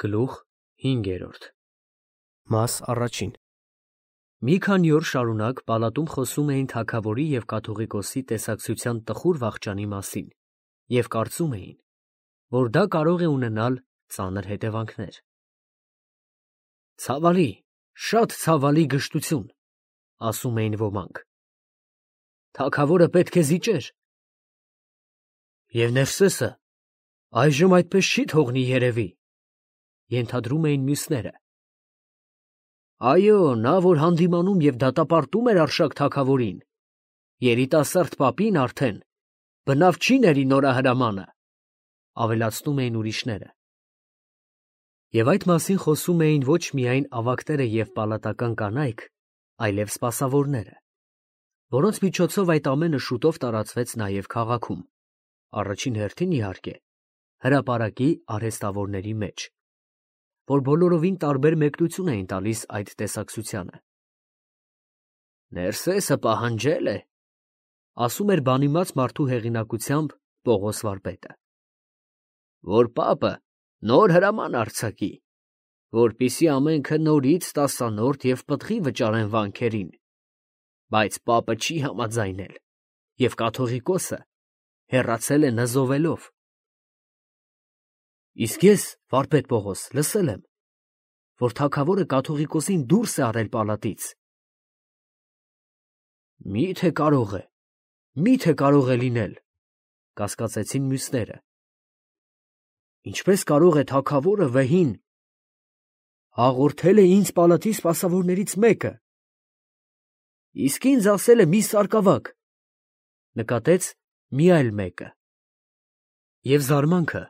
Գլուխ 5 Մաս առաջին Մի քանի օր շարունակ պալատում խոսում էին թագավորի և կաթողիկոսի տեսակցության տխուր վախճանի մասին և կարծում էին, որ դա կարող է ունենալ ծանր հետևանքներ։ «Ցավալի, շատ ցավալի գժտություն», ասում էին ոմանք։ «Թագավորը պետք է զիջեր»։ «Եվ Ներսեսը այժմ այդպես չի թողնի երևի», ենթադրում էին մյուսները։ «Այո, նա, որ հանդիմանում և դատապարտում էր Արշակ թագավորին, երիտասարդ պապին արդեն բնավ չի ների նորահրամանը», ավելացնում էին ուրիշները։ Եվ այդ մասին խոսում էին ոչ միայն ավագները և պալատական կանայք, այլև սպասավորները, որոնց միջոցով այդ ամենը շուտով տարածվեց նաև քաղաքում, առաջին հերթին, իհարկե, հրապարակի արհեստավորների մեջ, որ բոլորովին տարբեր մեկնություն էին տալիս այդ տեսակցությանը։ «Ներսեսը պահանջել է», ասում էր բանիմաց մարդու հեղինակությամբ Պողոս վարպետը, «որ պապը նոր հրաման արձակի, որպեսզի ամենքը նորից տասանորդ և պտղի վճարեն վանքերին, բայց պապը չի համաձայնել և կաթողիկոսը հեռացել է նզովելով»։ Իսկ ես, վարպետ Պողոս, լսել եմ, որ թագավորը կաթողիկոսին դուրս է արել պալատից։ Մի՞թե կարող է լինել, կասկածեցին մյուսները։ Ինչպես կարող է թագավորը վեհին հաղորդել է ինձ պալատի սպասավորներից մեկը։ Իսկ ինձ ասել է մի սարկավակ, նկատեց մի այլ մեկը։ Եվ զարմանքը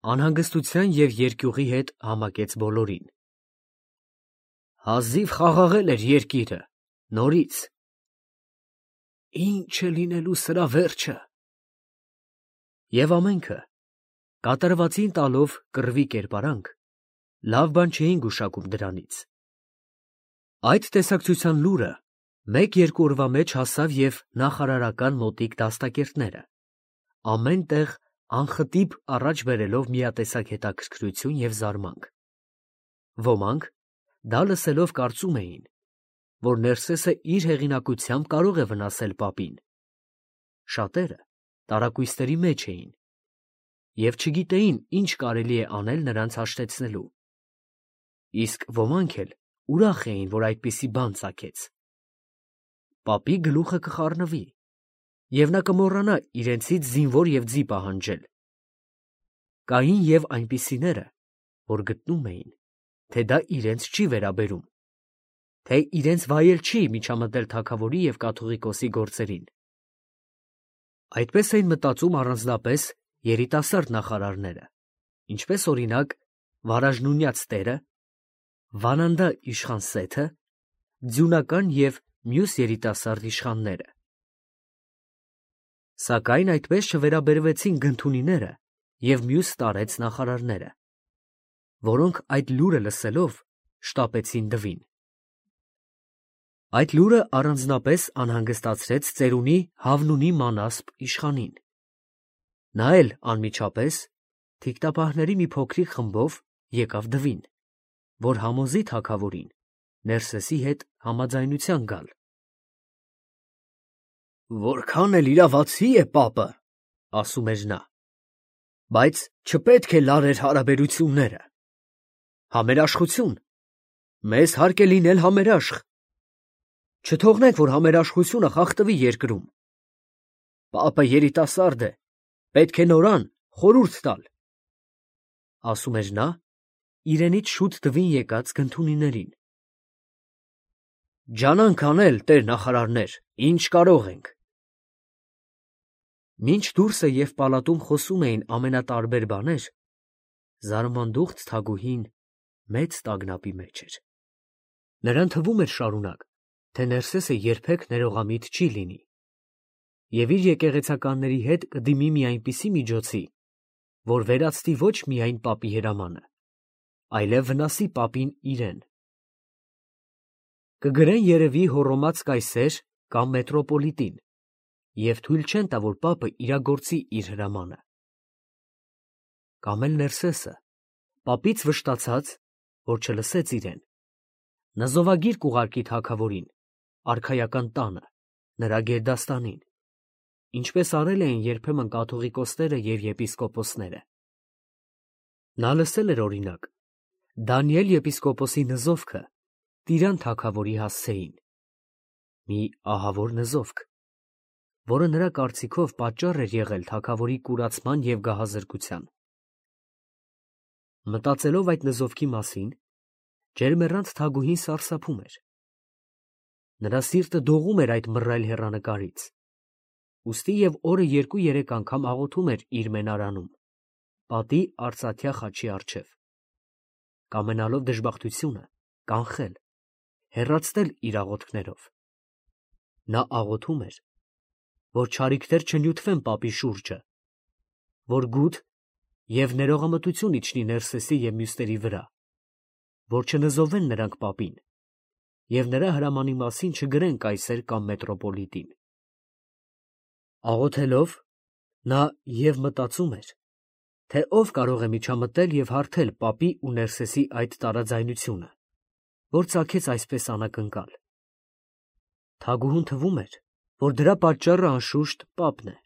անհանգստության և երկյուղի հետ համակեց բոլորին։ Հազիվ խաղաղել էր երկիրը, նորից։ Ի՞նչ է լինելու սրա վերջը։ Եվ ամենքը, կատարվածին տալով կռվի կերպարանք, լավ բան չէին գուշակում դրանից։ Այդ տեսակցության լուրը մեկ-երկու օրվա մեջ հասավ և նախարարական մոտիկ դաստակերտները, ամեն տեղ անխտիպ առաջ բերելով միատեսակ հետաքրքրություն և զարմանք։ Ոմանք, դա լսելով, կարծում էին, որ Ներսեսը իր հեղինակությամբ կարող է վնասել պապին։ Շատերը տարակույսների մեջ էին և չգիտեին, ինչ կարելի է անել նրանց հաշտեցնելու։ Իսկ ոմանք էլ ուրախ էին, որ այդպիսի բան ծագեց։ Պապի գլուխը կխառնվի, և նա կմոռանա իրենցից զինվոր և ձի պահանջել։ Կային և այնպիսիները, որ գտնում էին, թե դա իրենց չի վերաբերում, թե իրենց վայել չի միջամտել թագավորի և կաթողիկոսի գործերին։ Այդպես էին մտածում առանձնապես երիտասարդ նախարարները, ինչպես օրինակ Վարաժնունյաց տերը, Վանանդա իշխան Սեթը, Ձյունական և մյուս երիտասարդ իշխանները։ Սակայն այդպես չվերաբերվեցին Գնթունիները և մյուս տարեց նախարարները, որոնք այդ լուրը լսելով շտապեցին դվին։ Այդ լուրը առանձնապես անհանգստացրեց ծերունի Հավնունի Մանասպ իշխանին։ Նա էլ անմիջապես թիկտապահների մի փոքրիկ խմբով եկավ դվին, որ համոզի թագավորին Ներսեսի հետ համաձայնության գալ։ «Որքան էլ իրավացի է պապը, — ասում էր նա, — բայց չպետք է լարեր հարաբերությունները։ Համերաշխություն, մեզ հարկ է լինել համերաշխ։ Չթողնենք, որ համերաշխությունը խախտվի երկրում։ Պապը երիտասարդ է, պետք է նորան խորհուրդ տալ», — ասում էր նա իրենից շուտ դվին եկած Գնթունիներին։ «Ջանանք անել, տեր նախարարներ, ինչ կարող ենք»։ Մինչ դուրսը և պալատում խոսում էին ամենատարբեր բաներ, զարմանդուխտ թագուհին մեծ տագնապի մեջ էր։ Նրան թվում էր շարունակ, թե Ներսեսը երբեք ներողամիտ չի լինի և իր եկեղեցականների հետ կդիմի մի այնպիսի միջոցի, որ վերացնի ոչ միայն պապի հրամանը, այլև վնասի պապին իրեն։ Կգրեն երևի հոռոմած կայսեր կամ մետրոպոլիտին և թույլ չեն տա, որ պապը իրագործի իր հրամանը։ Կամ էլ Ներսեսը, Պապից վշտացած, որ չլսեց իրեն, նզովագիր կուղարկի թագավորին, արքայական տանը, նրա գերդաստանին, ինչպես արել էին երբեմն կաթողիկոսները և եպիսկոպոսները։ Նա լսել էր օրինակ Դանիել եպիսկոպոսի նզովքը Տիրան թագավորի հասցեին, մի ահավոր նզովք, որը նրա կարծիքով պատճառ էր եղել թագավորի կուրացման և գահազրկության։ Մտածելով այդ նզովքի մասին, ջերմեռանդ Թագուհին սարսափում էր։ Նրա սիրտը դողում էր այդ մռայլ հեռանկարից, ուստի և օրը 2-3 անգամ աղոթում էր իր մենարանում, պատի արծաթյա խաչի առջև, կամենալով դժբախտությունը կանխել, հեռացնել իր աղոթքներով։ Նա աղոթում էր, որ չարիքներ չնյութվեն պապի շուրջը, որ գութ և ներողամտություն իջնի Ներսեսի և մյուսների վրա, որ չնզովեն նրանք պապին և նրա հրամանի մասին չգրեն կայսեր կամ մետրոպոլիտին։ Աղոթելով, նա և մտածում էր, թե ով կարող է միջամտել և հարթել պապի ու Ներսեսի այդ տարաձայնությունը, որ ծագեց այսպես անակնկալ։ Թագուհուն թվում էր, որ դրա պատճառը անշուշտ պապն է։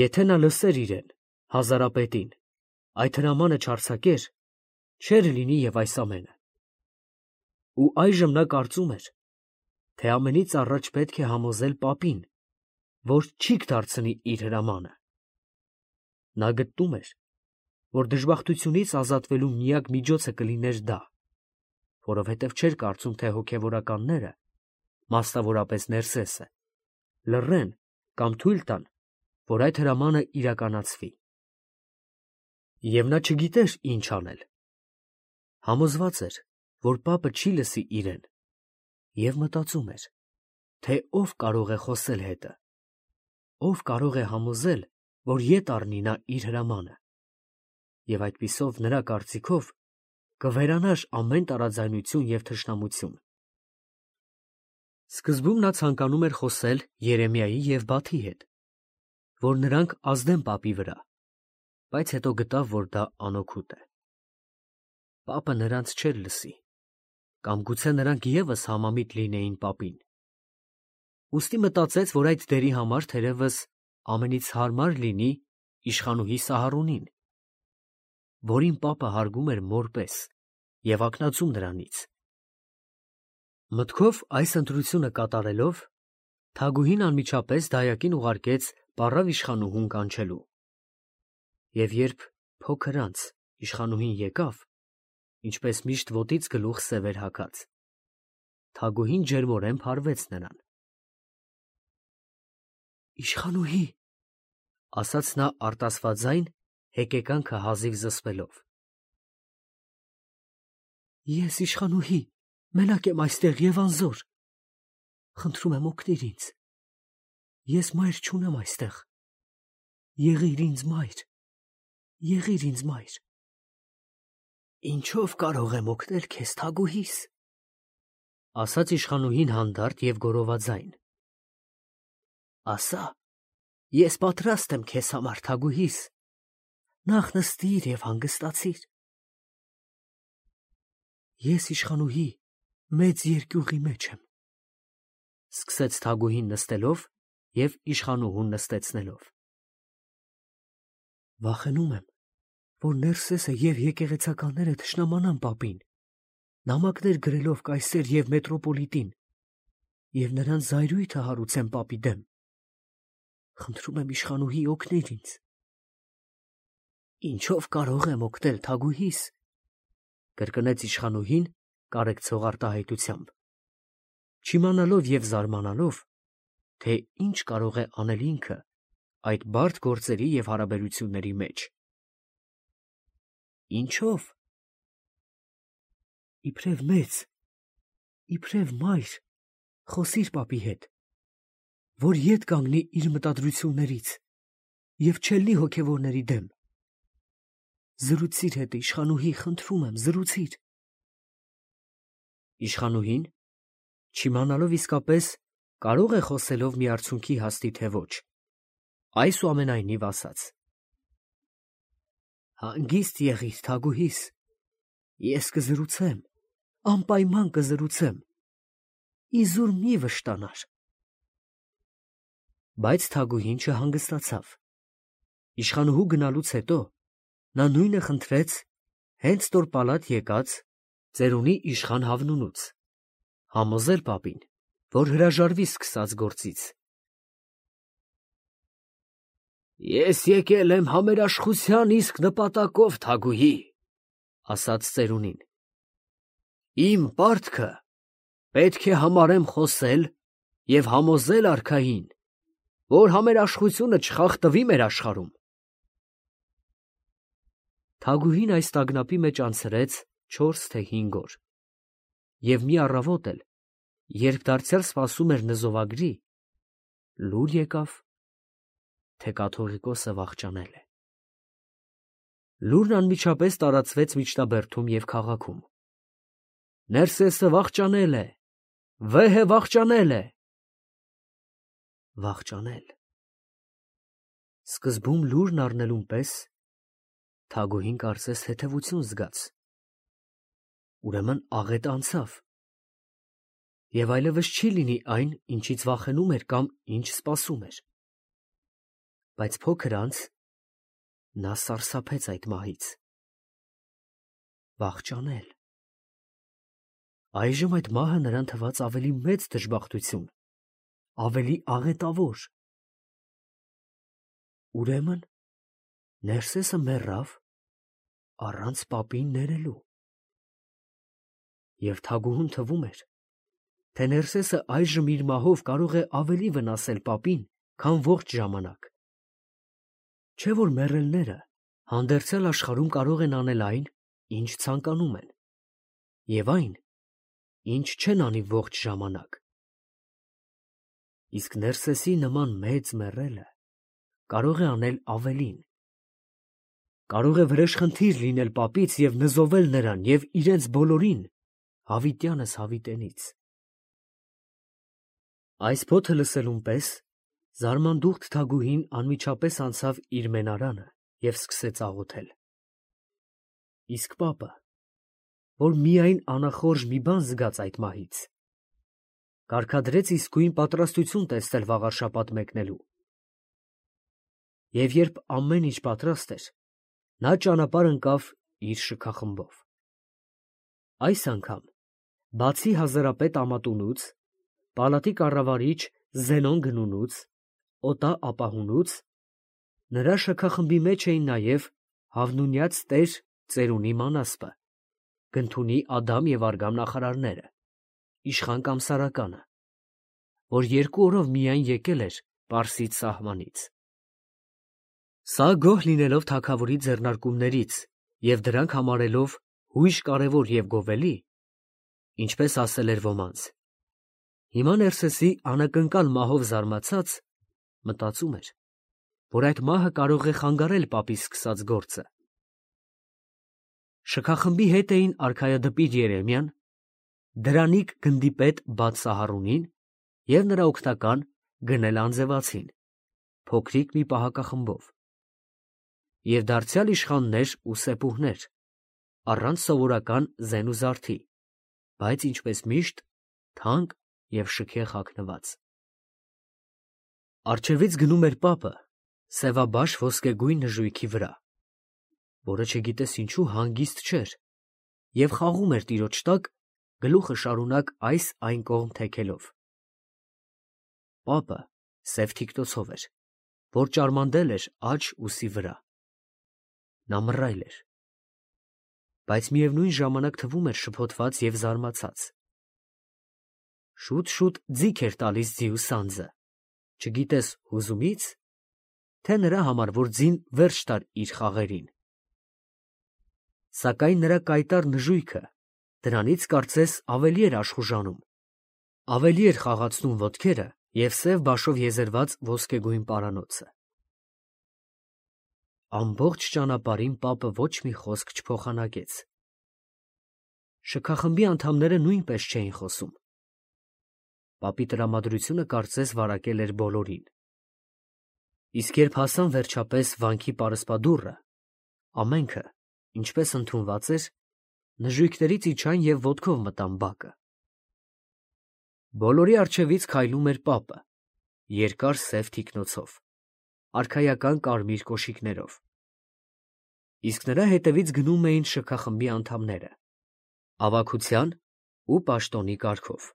Եթե նա լսեր իրեն, հազարապետին, այդ հրամանը չարձակեր, չէր լինի և այս ամենը։ Ու այժմ նա կարծում էր, թե ամենից առաջ պետք է համոզել պապին, որ չի կդարձնի իր հրամանը։ Նա գտնում էր, որ դժբախտությունից ազատվելու միակ միջոցը կլիներ դա, որովհետև չէր կարծում, թե հոգևորականները, մասնավորապես Ներսեսը, լռեն կամ թույլ տան, որ այդ հրամանը իրականացվի։ Եվ նա չգիտեր ինչ անել։ Համոզված էր, որ պապը չի լսի իրեն, և մտածում էր, թե ով կարող է խոսել հետը, ով կարող է համոզել, որ ետ առնի նա իր հրամանը, և այդպիսով նրա կարծիքով կվերանար ամեն տարաձայնություն և թշնամություն։ Սկզբում նա ցանկանում էր խոսել Երեմիայի և Բաթի հետ, որ նրանք ազդեն պապի վրա, բայց հետո գտավ, որ դա անօգուտ է։ Պապը նրանց չէր լսի, կամ գուցե նրանք ևս համամիտ լինեին պապին։ Ուստի մտածեց, որ այդ դերի համար թերևս ամենից հարմար լինի իշխանուհի Սահարոնին, որին պապը հարգում էր մոր պես և ակնածու նրանից։ Մտքով այս ընտրությունը կատարելով, Թագուհին անմիջապես դայակին ուղարկեց պառավ իշխանուհուն կանչելու։ Եվ երբ փոքր անց իշխանուհին եկավ, ինչպես միշտ ոտից գլուխ սև էր հագած, Թագուհին ջերմորեն փարվեց նրան։ Իշխանուհի, ասաց նա արտասվածային հեկեկանքը հազիվ զսպելով։ Ես իշխանուհի, մենակ եմ այստեղ և անզոր։ Խնդրում եմ օգնիր ինձ։ Ես մայր չունեմ այստեղ։ Եղիր ինձ մայր, եղիր ինձ մայր։ Ինչով կարող եմ օգնել քեզ, Թագուհիս, ասաց իշխանուհին հանդարտ և գոռովածային։ Ասա, ես պատրաստ եմ քեզ համար, Թագուհիս, նախ նստիր և հանգստացիր։ Ես իշխանուհի մեծ երկյուղի մեջ եմ, սկսեց Թագուհին նստելով և իշխանուհուն նստեցնելով։ Վախենում եմ, որ Ներսեսը և եկեղեցականները թշնամանան պապին, նամակներ գրելով կայսեր և մետրոպոլիտին և նրանց զայրույթը հարուցեն պապի դեմ։ Խնդրում եմ իշխանուհի, օգնիր ինձ։ Ինչով կարող եմ օգնել, Թագուհիս, կրկնեց իշխանուհին կարեկցող արտահայտությամբ, չիմանալով և զարմանալով, թե ինչ կարող է անել ինքը այդ բարդ գործերի և հարաբերությունների մեջ։ Ինչով։ Իբրև մեծ, իբրև մայր, խոսիր պապի հետ, որ ետ կանգնի իր մտադրություններից և չելնի հոգևորների դեմ։ Զրուցիր հետ, իշխանուհի, խնդրում եմ, զրուցիր։ Իշխանուհին, չիմանալով իսկապես կարող է խոսելով մի արցունքի հասնի, թե ոչ, այսուամենայնիվ ասաց. Հանգիստ եղիր, թագուհիս, ես կզրուցեմ, անպայման կզրուցեմ, իզուր մի վշտանար։ Բայց թագուհին չհանգստացավ։ Իշխանուհու գնալուց հետո նա նույնը խնդրեց հենց տոր պալատ եկած ծերունի իշխան Հավնունուց, համոզել պապին, որ հրաժարվի սկսած գործից։ Ես եկել եմ համերաշխության իսկ նպատակով, թագուհի, ասաց ծերունին։ Իմ պարտքը պետք է համարեմ խոսել և համոզել արքային, որ համերաշխությունը չխախտվի մեր աշխարհում։ Թագուհին այս տագնապի մեջ անցրեց 4 թե 5 օր, և մի առավոտ էլ, երբ դարձյալ սպասում էր նզովագրի, լուր եկավ, թե կաթողիկոսը վախճանել է։ Լուրն անմիջապես տարածվեց միջնաբերդում և քաղաքում։ Ներսեսը վախճանել է, վեհը վախճանել է։ Վախճանել։ Սկզբում լուրն առնելուն պես թագուհին կարծես թեթևություն զգաց, ուրեմն աղետը անցավ, և այլևս չի լինի այն, ինչից վախենում էր կամ ինչ սպասում էր։ Բայց փոքր անց նա սարսափեց այդ մահից։ Վախճանել։ Այժմ այդ մահը նրան թվաց ավելի մեծ դժբախտություն, ավելի աղետավոր։ Ուրեմն Ներսեսը մեռավ առանց պապին ներելու։ Եվ թագուհուն թվում էր, թե Ներսեսը այժմ իր մահով կարող է ավելի վնասել պապին, քան ողջ ժամանակ։ Չէ՞ որ մեռելները հանդերձյալ աշխարհում կարող են անել այն, ինչ ցանկանում են, և այն, ինչ չեն անի ողջ ժամանակ։ Իսկ Ներսեսի նման մեծ մեռելը կարող է անել ավելին։ Կարող է վրեժխնդիր լինել պապից և նզովել նրան և իրենց բոլորին, հավիտյանս հավիտենից։ Այս փոթը լսելուն պես զարմանդուխտ թագուհին անմիջապես անցավ իր մենարանը և սկսեց աղոթել։ Իսկ պապը, որ միայն անախորժ մի բան զգաց այդ մահից, կարգադրեց իսկույն պատրաստություն տեսնել վաղարշաբաթ մեկնելու։ Եվ երբ ամեն ինչ պատրաստ էր, նա ճանապարհ ընկավ իր շքախմբով։ Այս անգամ, բացի հազարապետ Ամատունուց, պալատի կառավարիչ Զենոն Գնունուց, Օտա ապահունուց, նրա շքախմբի մեջ էին նաև Հավնունյաց տեր ծերունի Մանասպը, Գնթունի Ադամ և Արգամ նախարարները, իշխան Կամսարականը, որ 2 օրով միայն եկել էր Պարսից սահմանից։ Սա գոհ լինելով թագավորի ձեռնարկումներից և դրանք համարելով հույժ կարևոր և գովելի, ինչպես ասել էր ոմանց, հիմա Ներսեսի անակնկալ մահով զարմացած, մտածում էր, որ այդ մահը կարող է խանգարել պապի սկսած գործը։ Շքախմբի հետ էին արքայադպիր Երեմիան, դրանիկ գնդի պետ Բաթ Սահարունին և նրա օգնական Գնել Անձևացին, փոքրիկ մի պահակախմբով, և դարձյալ իշխաններ ու սեպուհներ, առանց սովորական զեն ու զարդի, բայց ինչպես միշտ թանկ և շքեղ հագնված։ Առջևից գնում էր պապը սևաբաշ ոսկեգույն նժույգի վրա, որը չգիտես ինչու հանգիստ չէր, և խաղում էր տիրոջ տակ, գլուխը շարունակ այս այն կողմ թեքելով։ Պապը սև թիկնոցով էր, որ ճարմանդել էր աջ ուսի վրա։ Նա մռայլ էր, բայց միևնույն ժամանակ թվում էր շփոթված և զարմացած։ Շուտ-շուտ ձիգ էր տալիս ձիու սանձը, չգիտես հուզումի՞ց, թե նրա համար, որ ձին վերջ տար իր խաղերին։ Սակայն նրա կայտառ նժույգը դրանից կարծես ավելի էր աշխուժանում, ավելի էր խաղացնում ոտքերը և սև բաշով եզերված ոսկեգույն պարանոցը։ Ամբողջ ճանապարհին պապը ոչ մի խոսք չփոխանակեց։ Շքախմբի անդամները նույնպես չէին խոսում։ Պապի տրամադրությունը կարծես վարակել էր բոլորին։ Իսկ երբ հասան վերջապես վանքի պարսպադուռը, Ամենքը, ինչպես ընդունված էր, նժույգներից իջան և ոտքով մտան բակը։ Բոլորի առջևից քայլում էր պապը, երկար սև թիկնոցով, արքայական կարմիր կոշիկներով, իսկ նրա հետևից գնում էին շքախմբի անդամները, ավագության ու պաշտոնի կարգով։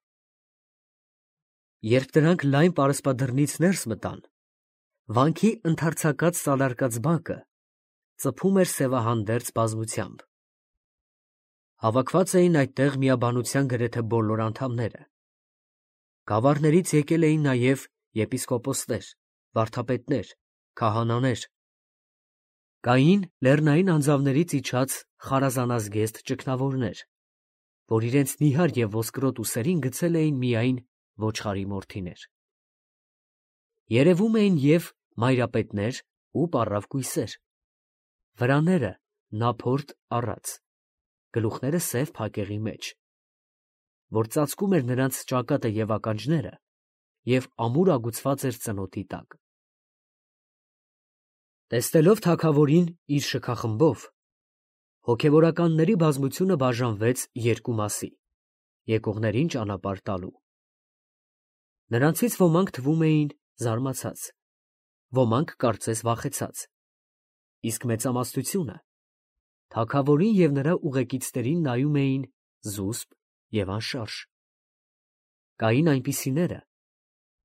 Երբ դրանք լայն պարսպադռնից ներս մտան, վանքի ընդարձակած սալարկած բակը ծփում էր սևահանդերձ բազմությամբ։ Հավաքված էին այդտեղ միաբանության գրեթե բոլոր անդամները։ Գավառներից եկել էին նաև եպիսկոպոսներ, վարդապետներ, քահանաներ։ Կային լեռնային անձավներից իջած խարազանազգեստ ճգնավորներ, որ իրենց նիհար և ոսկրոտ ուսերին գցել էին միայն ոչխարի մորթիներ։ Երևում էին և մայրապետներ ու պառավ կույսեր, վրաները նափորդ առած, գլուխները սև փակեղի մեջ, որ ծածկում էր նրանց ճակատը և ականջները և ամուր ագուցված էր ծնոտի տակ։ Տեսնելով թագավորին իր շքախմբով, հոգևորականների բազմությունը բաժանվեց երկու մասի, եկողներին ճանապարհ տալու։ Նրանցից ոմանք թվում էին զարմացած, ոմանք կարծես վախեցած, իսկ մեծամասնությունը թագավորին և նրա ուղեկիցներին նայում էին զուսպ և անշարժ։ Կային այնպիսիները,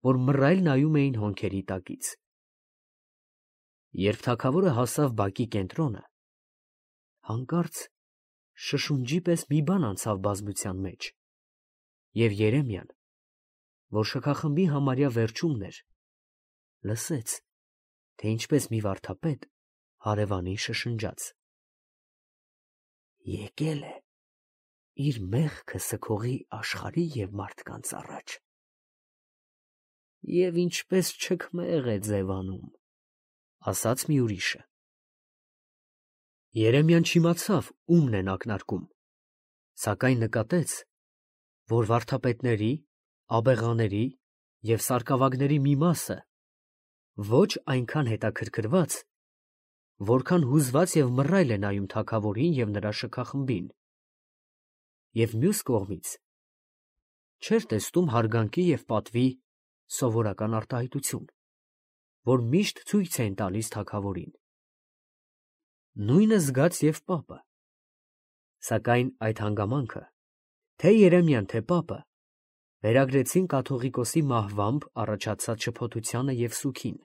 որ մռայլ նայում էին հոնքերի տակից։ Երբ թագավորը հասավ բակի կենտրոնը, հանկարծ շշունջի պես մի բան անցավ բազմության մեջ, և Երեմիան, որ շքախմբի համարյա վերջումն էր, լսեց, թե ինչպես մի վարդապետ հարևանին շշնջաց. «Եկել է իր մեղքը սգողի աշխարհի և մարդկանց առաջ, և ինչպես չքմեղ է ձևանում», ասաց մի ուրիշը։ Երեմիան չիմացավ ումն են ակնարկում, սակայն նկատեց, որ վարդապետների, աբեղաների և սարկավագների մի մասը ոչ այնքան հետաքրքրված, որքան հուզված և մռայլ է նայում թագավորին և նրա շքախմբին, և մյուս կողմից չէր տեսնում հարգանքի և պատվի սովորական արտահայտություն, որ միշտ ցույց էին տալիս թագավորին։ Նույնը զգաց և պապը։ Սակայն այդ հանգամանքը թե՛ Երեմիան, թե՛ պապը վերագրեցին կաթողիկոսի մահվամբ առաջացած շփոթությանը և սուգին։